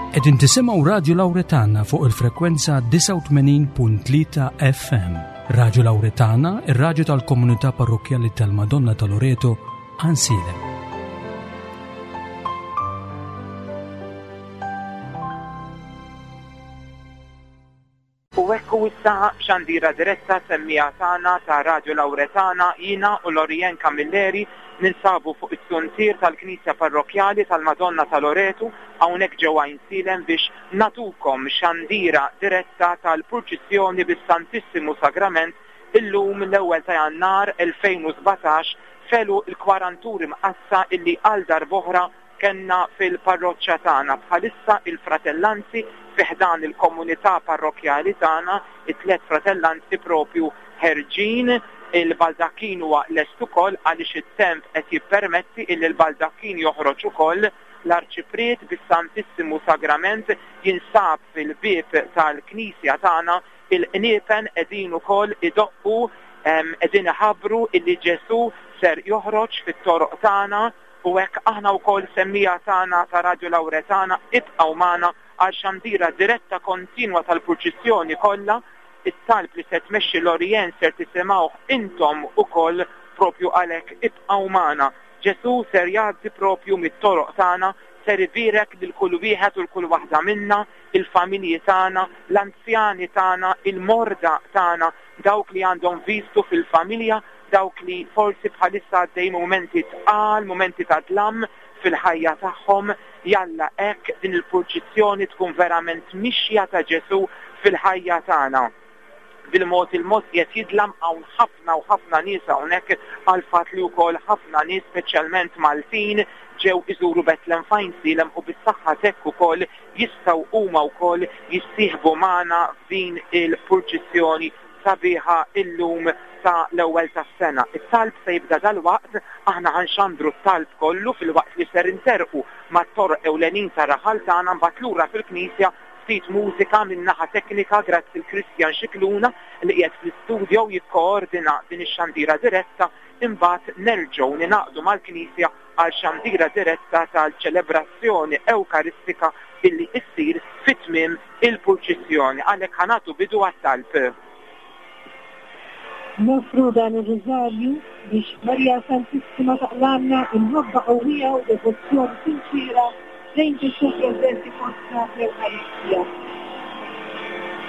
Qegħdin tisimgħu Radju Lawretana fuq il-frekwenza 89.3 FM. Radju Lawretana, ir-radju tal-komunità parrokkjali tal-Madonna ta' Loreto, Ansilem. U hekk hu issa b'xandira diretta semmiegħa tagħna ta' Radio Lauretana jiena u Lorianne Camilleri ninsabu fuq it-zuntier tal-Knisja Parrokkjali tal-Madonna ta' Loretu hawnhekk ġewwa Għajnsielem biex nagħtukom xandira diretta tal-purċissjoni bis-Santissimu Sagrament illum l-ewwel ta' Jannar 2017 f'għeluq il-Kwaranturi Mqaddsa illi għal darb'oħra Kellna fil-parroċċa tagħna bħalissa il-fratellanzi fi ħdan il-komunità parrokkjali tagħna, it-tlett fratellanzi propju ħerġin, il-baldakkin huwa lest ukoll għaliex it-temp qed jippermetti illi l-baldakkin joħroġ ukoll, l-Arċipriet bis-Santissimu Sagrament jinsab fil-bieb tal-knisja tagħna, il-qniepen qegħdin ukoll idoqqu, qegħdin iħabbru illi Ġesù ser joħroġ fit-toroq tagħna. U hekk aħna wkoll semmiegħa tagħna ta' Radio Lauretana ibqgħu magħna għal xandira diretta kontinwa tal-purċissjoni kollha, it-talb li se tmexxi Lorianne ser tisimgħuh intom ukoll propju għalhekk ibqgħu magħna. Ġesù ser jgħaddi propju mit-toroq tagħna, ser ibierek lil kull wieħed u l kull waħda minna, il-familji tagħna, l-anzjani tagħna, il-morda tagħna, dawk li għandhom vistu fil-familja, dawk li forsi bħalissa għaddejjin mumenti tqal, mumenti ta' dlam fil-ħajja tagħhom, jalla hekk din il-purċissjoni tkun verament mixja ta' Ġesù fil-ħajja tagħna. Bil-mod il-mod qiegħed jidlam hawn ħafna u ħafna nies hawnhekk għall-fatt li wkoll ħafna nies speċjalment Maltin ġew iżuru Betlem f'Għajnsielem u bis-saħħa t'hekk ukoll jistgħu huma wkoll jissieħbu magħna f'din il-purċissjoni sabiħa illum ta' l-ewwel tas-sena. It-talb se jibda dalwaqt, aħna ħa nxandru t-talb kollu filwaqt li ser interrqu mat-toroq ewlenin tar-raħal tagħna mbagħad lura fil-knisja ftit mużika min-naħa teknika grazzi 'l Christian Scicluna li qiegħed fl-istudio jikkoordina din ix-xandira diretta imbagħad nerġgħu ningħaqdu mal-knisja għal xandira diretta tal-ċelebrazzjoni Ewkaristika illi issir fi tmiem il-purċissjoni. Għalhekk ħa nagħtu bidu għat-talb. Noffru dan ir-Rużarju biex Marija Santissima taqlagħlna imħabba qawwija u devozzjoni sinċiera lejn Ġesù preżenti fostna fl-Ewkaristija.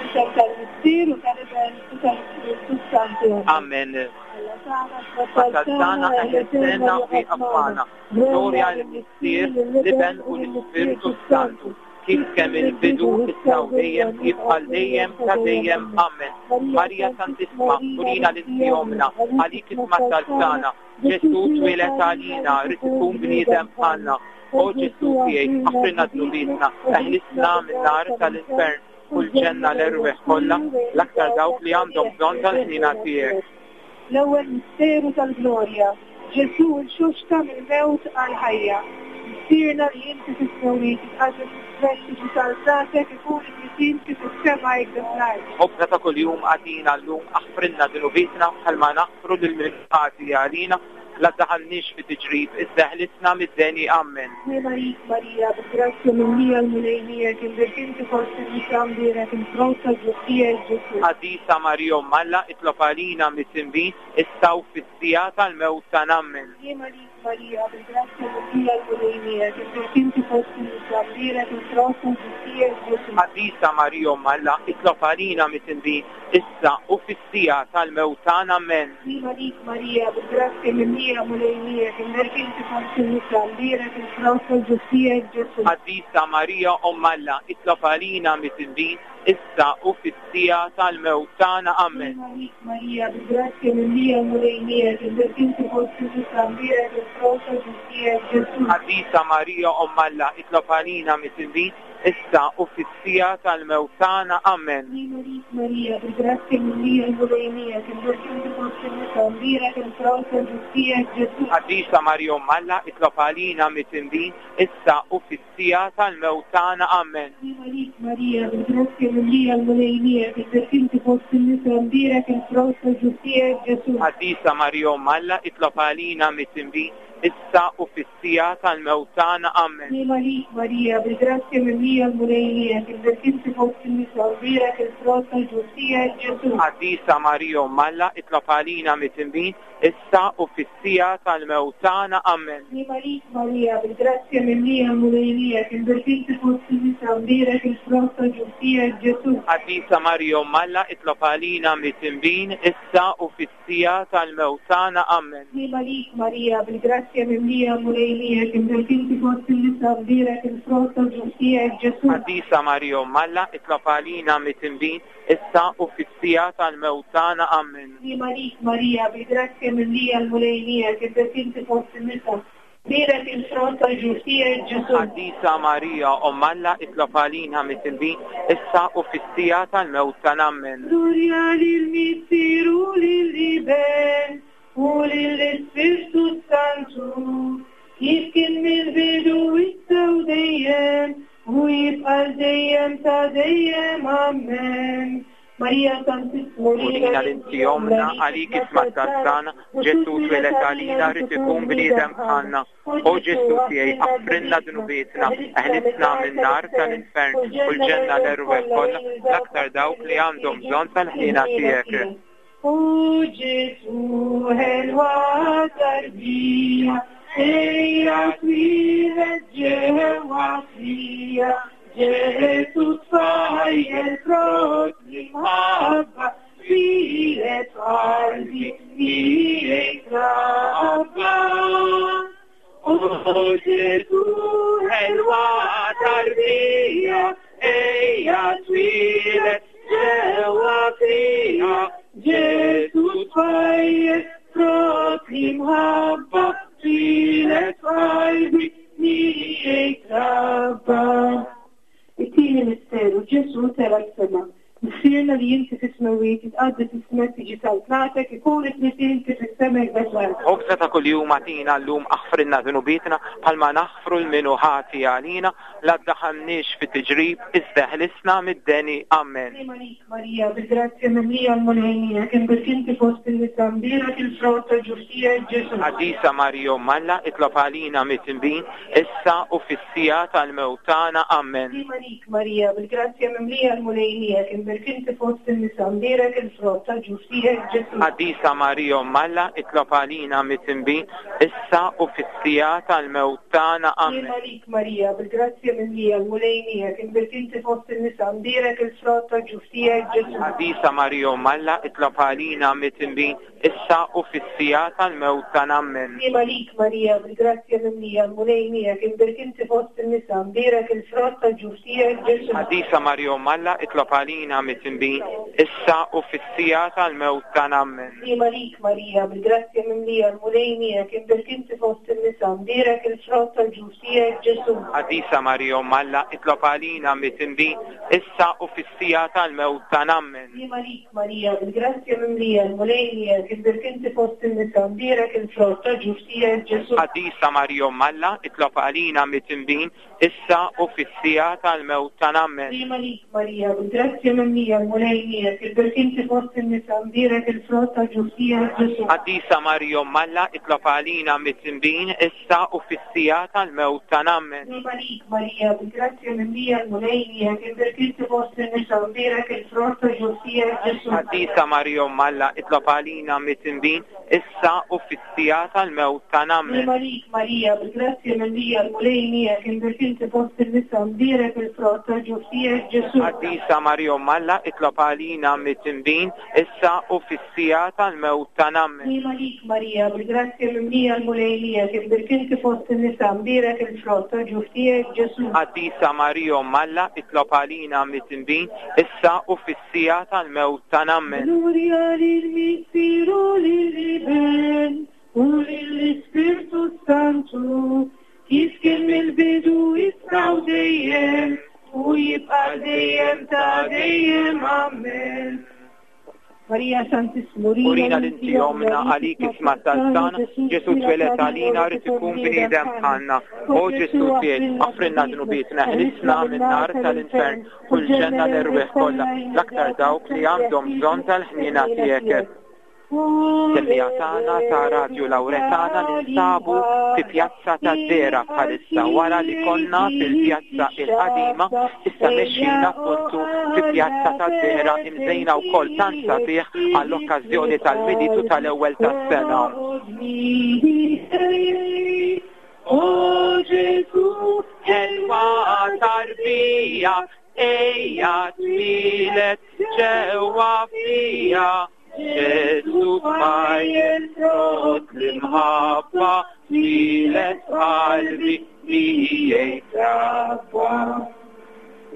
F'isem tal-Missier u tal-Iben u tal-Ispirtu s-Santu. Amen. Alla tagħna, Tagħna, eħlisna u ieqaf magħna. Glorja lill-Missier, l-Iben u l-Ispirtu s-Santu, kif kemm il-bidu, issa u dejjem, jibqa' għal dejjem ta' dejjem. Amen. Marija Santissima, urina li inti ommna, għalik isma' t-talb tagħna. Ġesù twieled għalina, ried ikun bniedem bħalna. O Ġesù tiegħi, aħfrilna dnubietna, eħlisna min-nar tal-infern u l-ġenna l-erwieħ kollha, l-aktar dawk li għandhom bżonn tal-ħniena tiegħek. L-ewwel misteru tal-glorja, Ġesù rxoxta mill-mewt għall-ħajja. Missierna li inti fis-smewwiet, jitqaddes ismek, tiġi saltnatek, ikun li trid int kif fis-sema hekk fl-art. Ħobżna ta' kuljum agħtina llum, aħfrilna dnubietna bħalma naħfru lil min ħati għalina, La ddaħħalniex fi tiġrib, iżda eħlisna mid-deni. Ammen. Ħniena għalik, Marija, bil-grazzja mimlija l-Mulej miegħek, imbierk inti fost in-nisa, mbierek il-frott ta' ġuf tiegħek, Ġesù. Qaddisa Marija Omm Alla, itlob għalina midinbin, issa u fis-siegħa tal-mewt tagħna. Ammen. Ħniena għalik, Marija, bil-grazzja mimlija l-Mulej miegħek, imbierk inti fost in-nisa, mbierek il-frott ta' ġuf tiegħek, Ġesù. Qaddisa Marija Omm Alla, itlob għalina midinbin, issa u fis-siegħa tal-mewt tagħna. Ammen. Sliema lik Marija, bil-grazzja mimlija Mulej miegħek, imbierk inti fost in-nisa, mbierek il-frott tal-ġuf tiegħek Ġesù. Qaddisa Marija Omm Alla, itlob għalina midinbin, issa u fis-siegħa tal-mewt tagħna. Ammen. Sliema lik Marija, bil-grazzja mimlija Mulej miegħek, imbierk inti fost in-nisa, mbierek il-frott tal-ġuf tiegħek Ġesù. Qaddisa Marija Omm Alla, itlob għalina midinbin, issa u fis-siegħa tal-mewt tagħna. Ammen. Sliema lik Marija, bil-grazzja mimlija l-Mulej miegħek, imbierk inti fost in-nisa, mbierek il-frott tal-ġuf tiegħek Ġesù. Qaddisa Marija Omm Alla, itlob għalina midinbin, issa u fis-siegħa tal-mewt tagħna. Ammen. Sliema lik Marija, bil-grazzja mimlija l-Mulej miegħek, imbierk inti fost in-nisa, mbierek il-frott tal-ġuf tiegħek Ġesù. Qaddisa Marija Omm Alla, itlob għalina midinbin, issa u fis-siegħa tal-mewt tagħna. Ammen. Sliema lik, Marija, bil-grazzja mimlija l-Mulej miegħek, imbierk inti fost in-nisa u mbierek il-frott tal-ġuf tiegħek, Ġesù. Qaddisa Marija Omm Alla, itlob għalina midinbin, issa u fis-siegħa tal-mewt tagħna. Ammen. Sliema lik, Marija, bil-grazzja mimlija l-Mulej miegħek, imbierk inti fost in-nisa u mbierek il-frott tal-ġuf tiegħek, Ġesù. Qaddisa Marija Omm Alla, itlob għalina midinbin, issa u fis Siegħa tal-mewt tagħna. Ammen. Sliema lik, Marija, bil-grazzja mimlija l-Mulej miegħek, imbierk inti fost in-nisa, mbierek il-frott tal-ġuf tiegħek, Ġesù. Qaddisa Marija Omm Alla, itlob għalina midinbin, issa u fis-siegħa tal-mewt tagħna. Ammen. Sliema lik, Marija, bil-grazzja mimlija l-Mulej miegħek, imbierk inti fost in-nisa, Bierek il-frott tal-ġuf tiegħek, Ġesù. Qaddisa Marija, Omm Alla, itlob għalina midinbin, issa u fis-siegħa tal-mewt tagħna. Ammen. Glorja lill-Missier u lill-Iben u lill-Ispirtu s-Santu, kif kien mill-bidu issa u dejjem, u jibqa' għal dejjem ta' dejjem. Ammen. Marija Santissima, Urina li inti ommna, għalik isma' t-talb tagħna, Ġesù twieled għalina, ried ikun bniedem bħalna. O Ġesù tiegħi, aħfrilna dnubietna, eħlisna min-nar tal-infern u l-ġenna l-erwieħ kollha, l-aktar dawk li għandhom bżonn tal-ħniena tiegħek. O Ġesù ħelwa tarbija, ejja twieled ġewwa fija. Ġesu tfajjel frott l-imħabba twieled f'qalbi miegħek trabba. O Ġesu ħelwa tarbija, ejja twieled ġewwa fija. Ġesu tfajjel frott l-imħabba twieled f'qalbi miegħek trabba. It-tieni misteru, Ġesù tela' s-sema. Missierna li inti fis-smewwiet, jitqaddes ismek, tiġi saltnatek, ikun ismek inti fis-sema iżda fl-art. Ħobżna ta' kuljum agħtina llum, aħfrilna dnubietna bħalma naħfru 'l min hu ħati għalina, la ddaħħalniex fi tiġrib, iżda eħlisna mid-deni. Amen. Sliema lik, Marija, bil-grazzja mimlija l-Mulej miegħek, imbierk inti fost in-nisa, mbierek il-frott tal-ġuf tiegħek, Ġesù. Qaddisa Marija Omm Alla, itlob għalina midinbin, issa u fis-siegħa tal-mewt tagħna. Amen. Sliema lik, Marija, bil-grazzja mimlija l-Mulej miegħek, imbierk inti fost in-nisa, mbierek il-frott tal-ġuf tiegħek, Ġesù. Qaddisa Marija Omm Alla, itlob għalina midinbin, issa u fis-siegħa tal-mewt tagħna. Amen. Sliema lik, Marija, bil-grazzja mimlija l-Mulej miegħek, imbierk inti fost in-nisa, mbierek il-frott tal-ġuf tiegħek, Ġesù. Qaddisa Marija Omm Alla, itlob għalina midinbin, issa u fis-siegħa tal-mewt tagħna. Ammen. Sliema lik, Marija, bil-grazzja mimlija, l-Mulej miegħek, imbierk inti fost in-nisa, mbierek il-frott tal-ġuf tiegħek, Ġesù. Qaddisa Marija Omm Alla, itlob għalina midinbin, issa u fis-siegħa tal-mewt tagħna. Ammen. Sliema lik, Marija, bil-grazzja mimlija, l-Mulej miegħek, imbierk inti fost in-nisa, mbierek il-frott tal-ġuf tiegħek, Ġesù. Qaddisa Marija Omm Alla, itlob għalina midinbin, issa u fis-siegħa tal-mewt tagħna. Ammen. Sliema lik, Marija, bil-grazzja mimlija, l-Mulej miegħek, imbierk inti fost in-nisa, mbierek il-frott tal-ġuf tiegħek, Ġesù. Qaddisa Marija Omm Alla, itlob għalina midinbin, issa u fis-siegħa tal-mewt tagħna. Ammen. Sliema lik, Marija, bil-grazzja mimlija, l-Mulej miegħek, imbierk inti fost in-nisa, mbierek il-frott tal-ġuf tiegħek, Ġesù. Qaddisa Marija Omm Alla, itlob għalina midinbin, issa u fis-siegħa tal-mewt tagħna. Ammen. Sliema lik, Marija, bil-grazzja mimlija, l-Mulej miegħek, imbierk inti fost in-nisa, mbierek il-frott tal-ġuf tiegħek, Ġesù. Qaddisa Marija Omm Alla, itlob għalina midinbin, issa u fis-siegħa tal-mewt tagħna. Ammen. Sliema lik, Marija, bil-grazzja mimlija, l-Mulej miegħek, imbierk inti fost in-nisa, mbierek il-frott tal-ġuf tiegħek, Ġesù. Qaddisa Marija Omm Alla, itlob għalina midinbin, issa u fis-siegħa tal-mewt tagħna. Ammen. Sliema lik, Marija, bil-grazzja mimlija, l-Mulej miegħek, imbierk inti fost in-nisa, mbierek il-frott tal-ġuf tiegħek, Ġesù. Qaddisa Marija Omm Alla, itlob għalina midinbin, issa u fis-siegħa tal-mewt tagħna. Ammen. Glorja lill-Missier u lill-Iben u lill-Ispirtu s-Santu, kif kien mill-bidu issa u dejjem, u jibqa' dejjem ta' dejjem. Ammen. Marija Santissima, Urina li inti ommna, għalik isma' t-talb tagħna, Ġesù twieled għalina, ried ikun bniedem bħalna. O Ġesù tiegħi, aħfrilna dnubietna, eħlisna min-nar tal-infern u l-ġenna l-erwieħ kollha, l-aktar dawk li għandhom bżonn tal-ħniena tiegħek. Semmiegħa tagħna ta' Radju Lawretana ninsabu fi Pjazza tad-Dehra bħalissa wara li konna fil-Pjazza il-Qadima issa mexjin appuntu fi Pjazza tad-Dehra imżejna wkoll tant sabiħ għall-okkażjoni tal-Milied u tal-Ewwel tas-Sena. O Ġesù, ħelwa tarbija, ejja twieled ġewwa fija. Ġesù tfajjel frott l-imħabba twieled f'qalbi miegħi trabba.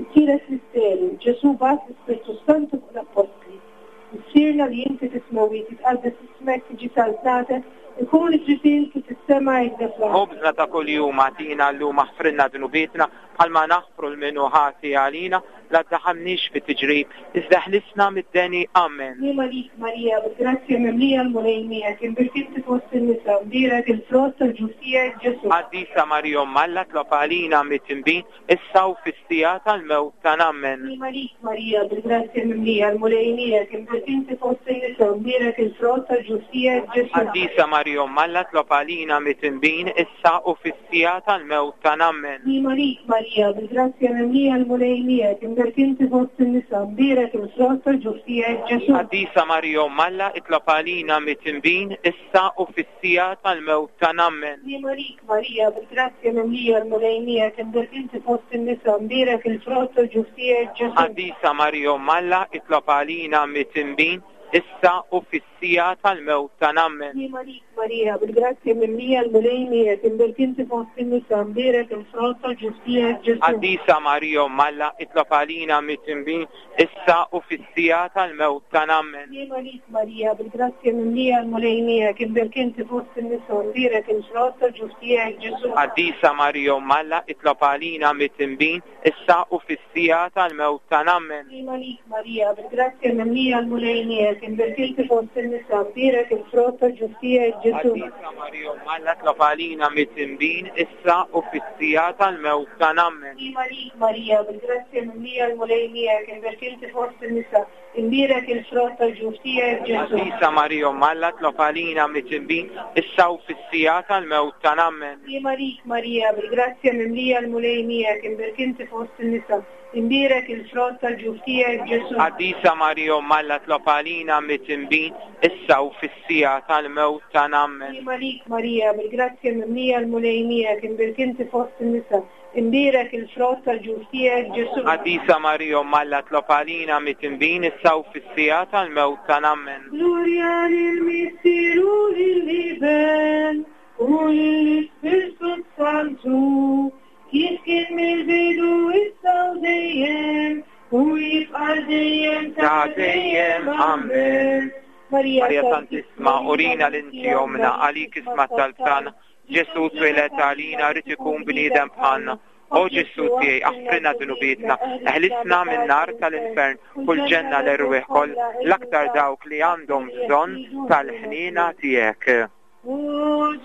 It-tielet misteru, Ġesù bagħat l-Ispirtu s-Santu fuq l-appostli. Missierna li inti fis-smewwiet, jitqaddes ismek, tiġi saltnatek, ikun li trid int kif fis-sema hekk fl-art. Ħobżna ta' kuljum agħtina llum aħfrilna dnubietna bħalma naħfru 'l min hu ħati għalina, la ddaħħalniex fi tiġrib, iżda ħlisna mid-deni. Amen. Sliema lik Marija, bil-grazzja mimlija l-Mulej miegħek, imbierk inti fost in-nisa, mbierek il-frott tal-ġuf tiegħek Ġesù. Qaddisa Marija Omm Alla tlob għalina midinbin, issa u fis-siegħa tal-mewt tagħna. Amen. Sliema lik Marija, bil-grazzja mimlija l-Mulej miegħek, imbierk inti fost in-nisa, mbierek il-frott tal-ġuf tiegħek Ġesù. Qaddisa Marija Omm Alla tlob għalina midinbin, issa u fis Siegħa tal-mewt tagħna. Ammen. Sliema lik, Marija, bil-grazzja mimlija l-Mulej miegħek, imbierk inti fost in-nisa, mbierek il-frott tal-ġuf tiegħek, Ġesù. Qaddisa Marija Omm Alla, itlob għalina midinbin, issa u fis-siegħa tal-mewt tagħna. Ammen. Sliema lik, Marija, bil-grazzja mimlija l-Mulej miegħek, imbierk inti fost in-nisa, mbierek il-frott tal-ġuf tiegħek, Ġesù. Qaddisa Marija Omm Alla, itlob għalina midinbin, issa u fis-siegħa tal-mewt tagħna. Ammen. Sliema lik, Marija, bil-grazzja mimlija l-Mulej miegħek, imbierk inti fost in-nisa, mbierek il-frott tal-ġuf tiegħek, Ġesù. Qaddisa Marija Omm Alla, itlob għalina midinbin, issa u fis-siegħa tal-mewt tagħna. Ammen. Sliema lik, Marija, bil-grazzja mimlija l-Mulej miegħek, imbierk inti fost in-nisa, mbierek il-frott tal-ġuf tiegħek, Ġesù. Qaddisa Marija Omm Alla, itlob għalina midinbin, issa u fis-siegħa tal-mewt tagħna. Ammen. Sliema lik, Marija, bil-grazzja mimlija l-Mulej miegħek, imbierk inti fost in-nisa, mbierek il-frott tal-ġuf tiegħek, Ġesù. Qaddisa Marija Omm Alla, tlob għalina midinbin, issa u fis-siegħa tal-mewt tagħna. Ammen. Sliema lik, Marija, bil-grazzja mimlija l-Mulej miegħek, imbierk inti fost in-nisa, imbierek il-frott tal-ġuf tiegħek, Ġesù. Qaddisa Marija Omm Alla, tlob għalina midinbin, issa u fis-siegħa tal-mewt tagħna. Ammen. Sliema lik, Marija, bil-grazzja mimlija l-Mulej miegħek, imbierk inti fost in-nisa, imbierek il-frott tal-ġuf tiegħek, Ġesù. Qaddisa Marija Omm Alla, tlob għalina midinbin, issa u fis-siegħa tal-mewt tagħna. Ammen. Sliema lik, Marija, bil-grazzja mimlija l-Mulej miegħek, imbierk inti fost in-nisa, imbierek il-frott tal-ġuf tiegħek, Ġesù. Qaddisa Marija Omm Alla, tlob għalina midinbin, issa u fis-siegħa tal-mewt tagħna. Ammen. Glorja lill-Missier u lill-Iben u lill-Ispirtu s-Santu, kif kien mill-bidu issa u dejjem, u jibqa' dejjem ta' dejjem. Amen. Marija Marija Santissima, urina li inti ommna, għalik isma' t-talb tagħna. Ġesù twieled għalina, ried ikun bniedem bħalna. O Ġesù tiegħi, aħfrilna dnubietna, eħlisna min-nar tal-infern, u l-ġenna l-erwieħ kollha, l-aktar dawk li għandhom bżonn tal-ħniena tiegħek. O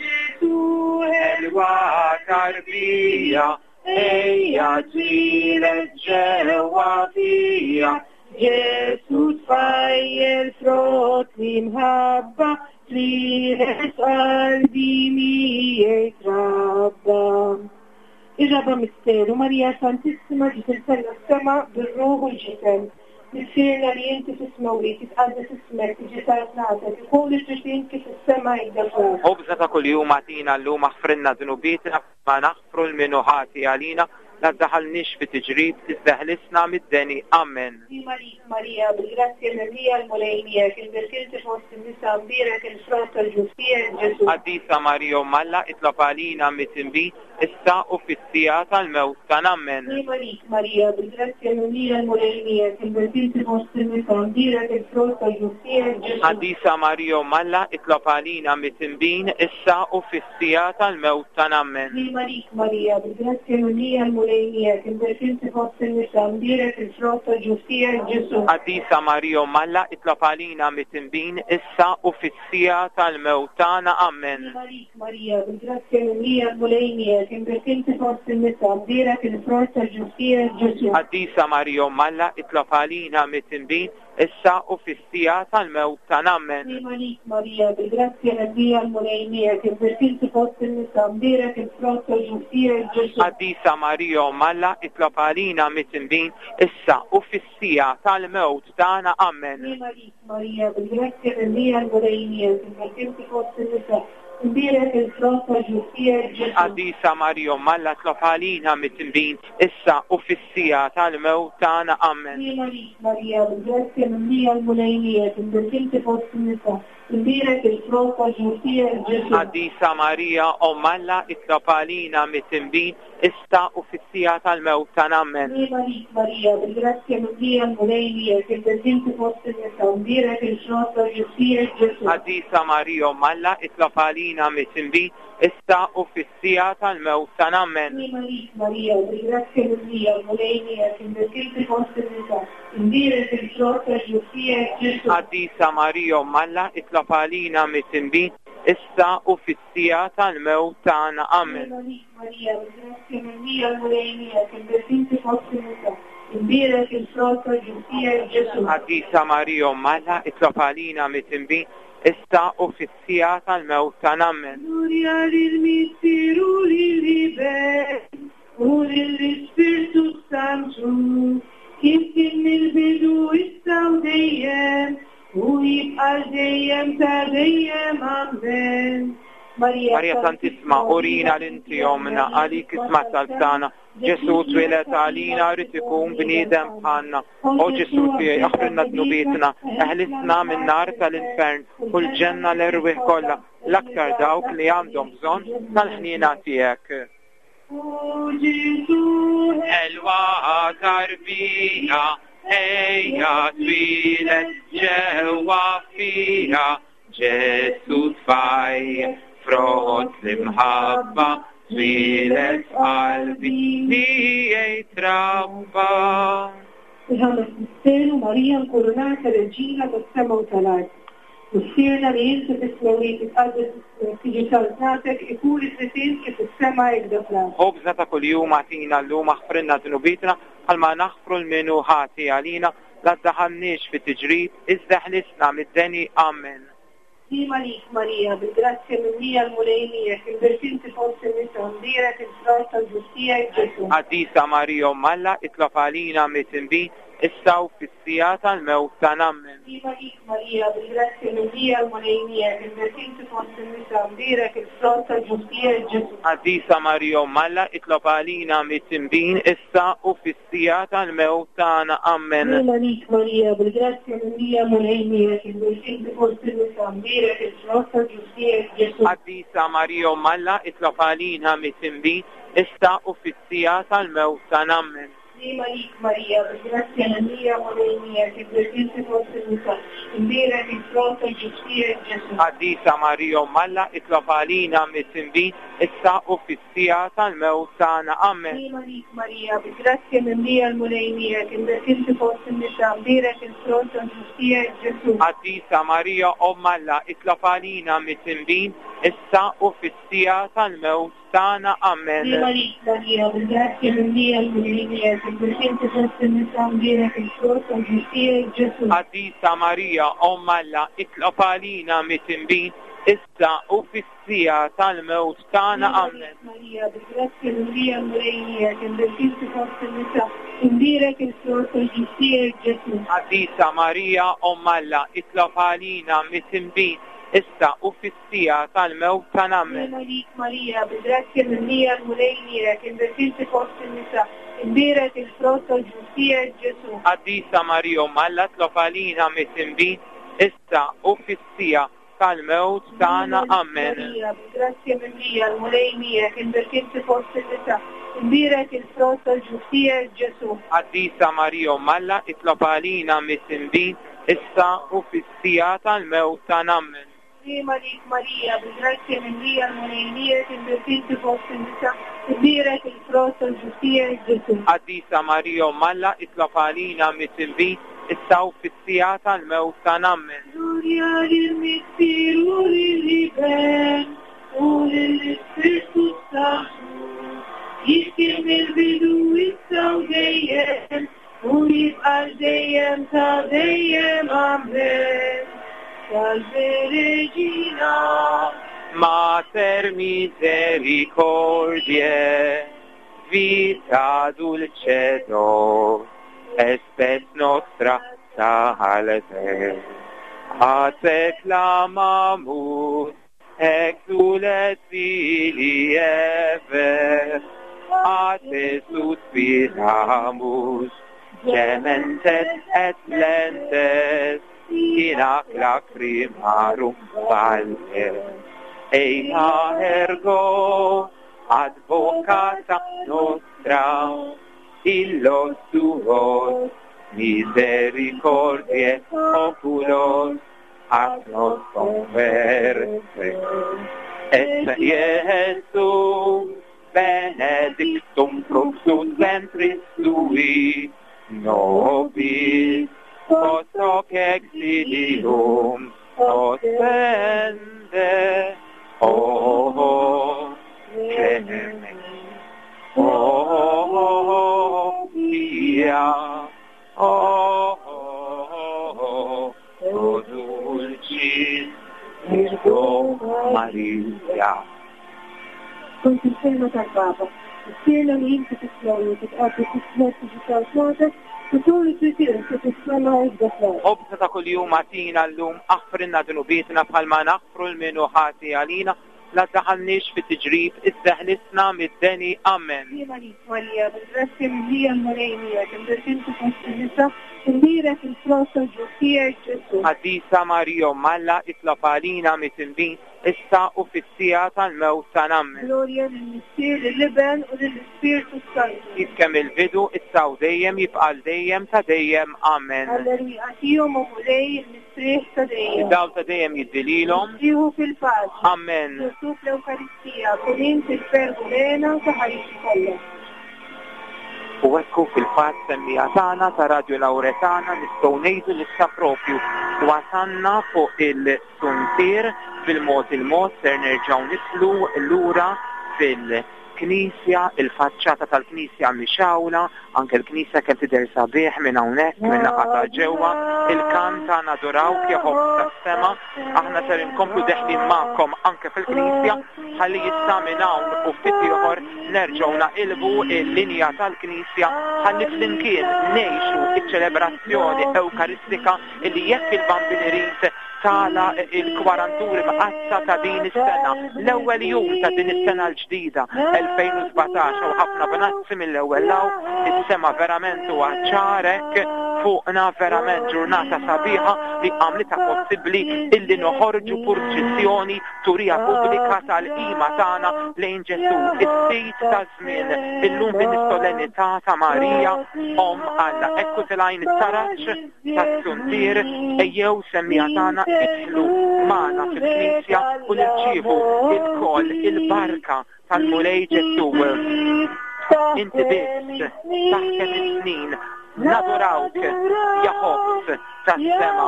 Ġesù, ħelwa tarbija, ejja twieled ġewwa fija. Ġesù tfajjel frott l-imħabba, twieled f'qalbi miegħi trabba. Ir-raba' misteru, Marija Santissima ġiet imtellgħa s-sema bir-ruħ u l-ġisem. Missierna li inti fis-smewwiet, jitqaddes ismek, tiġi saltnatek, ikun li trid int kif fis-sema hekk fl-art. Ħobżna ta' kuljum agħtina llum, aħfrilna dnubietna bħalma naħfru 'l min hu ħati għalina, la ddaħħalniex fi tiġrib, iżda ħlisna mid-deni. Amen. Sliema lik, Marija, bil-grazzja mimlija l-Mulej miegħek, imbierk inti fost in-nisa, mbierek il-frott tal-ġuf tiegħek, Ġesù. Qaddisa Marija Omm Alla, itlob għalina midinbin, issa u fis-siegħa tal-mewt tagħna. Amen. Sliema lik, Marija, bil-grazzja mimlija l-Mulej miegħek, imbierk inti fost in-nisa, mbierek il-frott tal-ġuf tiegħek, Ġesù. Qaddisa Marija Omm Alla, itlob għalina midinbin, issa u fis-siegħa tal-mewt tagħna. Amen. Sliema lik, Marija, bil-grazzja mimlija l-Mulej miegħek, imbierk inti fost in-nisa, mbierek il-frott tal-ġuf tiegħek, Ġesù. Qaddisa Marija Omm Alla, itlob għalina midinbin, issa u fis-siegħa tal-mewt tagħna. Amen. Sliema lik, Marija, bil-grazzja mimlija l-Mulej miegħek, imbierk inti fost in-nisa, mbierek il-frott tal-ġuf tiegħek, Ġesù. Qaddisa Marija Omm Alla, itlob għalina midinbin, issa u fis-siegħa tal-mewt tagħna. Ammen. Sliema għalik Marija, bil-grazzja mimlija l-Mulej miegħek, imbierk inti fost in-nisa, mbierek il-frott tal-ġuf tiegħek Ġesù. Qaddisa Marija Omm Alla, itlob għalina midinbin, issa u fis-siegħa tal-mewt tagħna. Ammen. Sliema għalik Marija, bil-grazzja mimlija l-Mulej miegħek, imbierk inti fost in-nisa, imbierek il-frott tal-ġuf tiegħek Ġesù. Qaddisa Marija Omm Alla, itlob għalina midinbin, issa u fis-siegħa tal-mewt tagħna. Ammen. Sliema għalik Marija, bil-grazzja mimlija l-Mulej miegħek, imbierk inti fost in-nisa, imbierek il-frott tal-ġuf tiegħek Ġesù. Qaddisa Marija Omm Alla, itlob għalina midinbin, issa u fis-siegħa tal-mewt tagħna. Ammen. Sliema għalik Marija, bil-grazzja mimlija l-Mulej miegħek, imbierk inti fost in-nisa, imbierek il-frott tal-ġuf tiegħek Ġesù. Qaddisa Marija Omm Alla, itlob għalina midinbin, issa u fis-siegħa tal-mewt tagħna. Ammen. Sliema għalik Marija, bil-grazzja mimlija l-Mulej miegħek, imbierk inti fost in-nisa, imbierek il-frott tal-ġuf tiegħek Ġesù. Qaddisa Marija Omm Alla, itlob għalina midinbin, issa u fis-siegħa tal-mewt tagħna. Ammen. Sliema għalik Marija, bil-grazzja mimlija l-Mulej miegħek, imbierk inti fost in-nisa, imbierek il-frott tal-ġuf tiegħek Ġesù. Qaddisa Marija Omm Alla, itlob għalina midinbin, issa u fis-siegħa tal-mewt tagħna. Ammen. Glorja lill-Missier u lill-Iben u lill-Ispirtu Santu, kif kien mill-bidu issa u dejjem u jibqa' dejjem ta' dejjem. Amen. Marija Santissima, urina l-inti ommna, għalik isma' talb tagħna. Ġesù twieled għalina rrid ikun bniedem bħalna. O Ġesù tiegħi, aħfrilna dnubietna, eħlisna min-nar tal-infern u l-ġenna l-erwieħ kollha, l-aktar dawk li għandhom bżonn tal-ħniena tiegħek. O Ġesù, Elwa tarbija, ejja twieled ġewwa fija, Ġesù tfaj, frott l-imħabba, twieled f'qalbi, tiegħi trabba. Il-ħames misteru Marija nkurunata Reġina tas-sema u tal-art. Missierna li inti fis-smewwiet titqaddes ismek, tiġi saltnatek, ikun li trid int kif fis-sema hekk fl-art. Ħobżna ta' kuljum agħtina llum aħfrilna dnubietna bħalma naħfru 'l min hu ħati għalina, la ddaħħalniex fi tiġrib, iżda ħlisna mid-deni. Amen. Sliema għalik Marija, bil-grazzja mimlija l-Mulej miegħek, imbierk inti fost in-nisa, mbierek il-frott tal-ġuf tiegħek Ġesù. Qaddisa Marija Omm Alla, itlob għalina midinbin, issa u fis-siegħa tal-mewt tagħna. Amen. Sliema għalik Marija, bil-grazzja mimlija l-Mulej miegħek, imbierk inti fost in-nisa, mbierek il-frott tal-ġuf tiegħek Ġesù. Qaddisa Marija Omm Alla, itlob għalina midinbin, issa u fis-siegħa tal-mewt tagħna. Amen. Sliema għalik Marija, bil-grazzja mimlija l-Mulej miegħek, imbierk inti fost in-nisa, mbierek il-frott tal-ġuf tiegħek Ġesù. Qaddisa Marija Omm Alla, itlob għalina midinbin, issa u fis-siegħa tal-mewt tagħna. Amen. Sliema għalik Marija, bil-grazzja mimlija l-Mulej miegħek, imbierk inti fost in-nisa, imbierek il-frott tal-ġuf tiegħek Ġesù. Qaddisa Marija Omm Alla, itlob għalina midinbin, issa u fis-siegħa tal-mewt tagħna. Amen. Sliema għalik Marija, bil-grazzja mimlija l-Mulej miegħek, imbierk inti fost in-nisa, imbierek il-frott tal-ġuf tiegħek Ġesù. Qaddisa Marija Omm Alla, itlob għalina midinbin, issa u fis-siegħa tal-mewt tagħna. Amen. Sliema għalik Marija, bil-grazzja mimlija l-Mulej miegħek, imbierk inti fost in-nisa, imbierek il-frott tal-ġuf tiegħek Ġesù. Qaddisa Marija Omm Alla, itlob għalina midinbin, issa u fis-siegħa tal-mewt tagħna. Sliema Amen. għalik Marija, bil-grazzja mimlija l-Mulej miegħek, imbierk inti fost in-nisa, imbierek il-frott tal-ġuf tiegħek Ġesù. Qaddisa Marija Omm Alla, itlob għalina midinbin, issa u fis-siegħa tal-mewt tagħna. Amen. Sliema għalik Marija, bil-grazzja mimlija l-Mulej miegħek, imbierk inti fost in-nisa, imbierek il-frott tal-ġuf tiegħek Ġesù. Qaddisa Marija Omm Alla, itlob għalina midinbin, issa u fis-siegħa tal-mewt tagħna. Amen. Marija, bil-grazzja mimlija l-Mulej miegħek, imbierk inti fost in-nisa, imbierek il-frott tal-ġuf tiegħek Ġesù. Qaddisa Marija Omm Alla, itlob għalina midinbin, issa u fis-siegħa tal-mewt tagħna. Amen. Sliema għalik Marija, bil-grazzja mimlija l-Mulej miegħek, imbierk inti fost in-nisa, imbierek il-frott tal-ġuf tiegħek Ġesù. Qaddisa Marija Omm Alla, itlob għalina midinbin, issa u fis-siegħa tal-mewt tagħna. Amen. Glorja lill-Missier u lill-Iben u lill-Ispirtu Santu, kif kien mill-bidu issa u dejjem u jibqa' għal dejjem ta' dejjem. Amen. Salve Regina. Mater misericordiae, vita dulcedo, espes nostra salve. A te clamamus, exules filii Eve, a te suspiramus, gementes et lentes, in ac lacrimarum valle. Eia ergo advocata nostra, illos tuos misericordiae oculos ac nos converte. Et Iesu benedictum fructus ventris tui, nobis post hoc exilium ostende. O clemens, O pia, O, o dulcis Virgo Maria. Skont il-kelma tal-Papa, Missierna li inti fis-smewwiet titqaddes ismek tiġi saltnatek, u tul it-triq kif fis-sema hekk fl-art. Ħobżna ta' kuljum agħtina llum, aħfrilna dnubietna bħalma naħfru 'l min hu ħati għalina, La ddaħħalniex fi tiġrib, iżda ħlisna mid-deni. Amen. Sliem għalik, Marija, bil-grazzja mimlija l-Mulej miegħek, imbierek inti fost in-nisa, u mbierek il-frott tal-ġuf tiegħek, Ġesù. Qaddisa Marija, Omm Alla, itlob għalina midinbin, issa u fis-siegħa tal-mewt tagħna. Amen. Glorja lill-Missier, lill-Iben, u lill-Ispirtu s-Santu. Kif kemm il-bidu, issa u dejjem, jibqa' għal dejjem ta' dejjem. Amen. Għall-erwieqa tiegħu, o Mulej, il-mistrieħ ta' dejjem. Id-dawl ta' dejjem jiddi lilhom. Jieħu fil-paċi. Amen. Ġesù fl-Ewkaristija, kun int il-ferħ u l-hena ta' ħajti kollha. U hekk hu fil-fatt semmiegħa tagħna ta' Radio Lauretana nistgħu ngħidu li issa propju wasalna fuq il-suntier bil-mod il-mod ser nerġgħu nidħlu lura fil- Knisja, il-faċċata tal-knisja mixgħula, anke l-knisja kemm tidher sabiħ minn hawnhekk, minn naħa ta' ġewwa, il-kant ta' Nadurawk ja ħobż tas-sema, aħna ser inkomplu deħlin magħkom anke fil-knisja ħalli issa minn hawn u ftit ieħor nerġgħu naqilbu l-linja tal-knisja ħalli flimkien ngħixu ċ-ċelebrazzjoni Ewkaristika illi jekk il-Bambin irid tagħlaq il-Kwaranturi Mqaddsa ta' din is-sena, l-ewwel jum ta' din is-sena l-ġdida 2017 hawn ħafna bnazzi mill-ewwel 'l hawn, is-sema verament huwa ċar hekk fuqna verament ġurnata sabiħa li għamlitha possibbli illi noħorġu purċissjoni turija pubblika tal-qima tagħna lejn Ġesù, is-Sid taż-żmien, illum din is-solennità ta' Marija Omm Alla. Hekk hu tilgħin it-taraġ tas-suntier, ejjew semmiegħa tagħna idħlu magħna fil-Knisja u nirċievu lkoll il-barka tal-Mulej Ġesù. Inti biss taħkem is-snin, nadurawk ja ħobż tas-sema,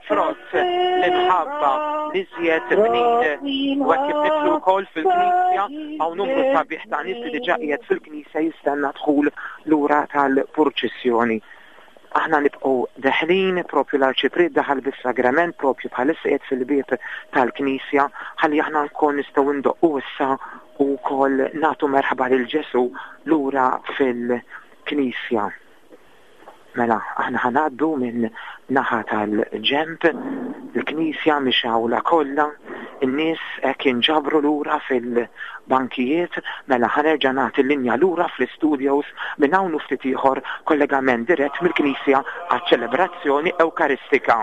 frott l-imħabba l-iżjed bnin. U hekk kif nidħlu wkoll fil-Knisja hawn numru sabiħ ta' nies li diġà qiegħed fil-Knisja jistenna dħul lura tal-purċissjoni. Aħna nibqgħu deħlin, propju l-Arċipriet daħal bis-sagrament propju bħalissa qiegħed fil-bieb tal-knisja ħalli aħna wkoll nistgħu ndoqqu issa u wkoll nagħtu merħba lil Ġesù lura fil-knisja. Mela, aħna ħa ngħaddu minn naħa tal-ġenb, il-knisja mixgħula kollha, in-nies hekk jinġabru lura fil- bankijiet, mela ħa nerġa' nagħti l-linja lura fl-istudios minn hawn u ftit ieħor kollegament dirett mill-Knisja għaċ-ċelebrazzjoni Ewkaristika.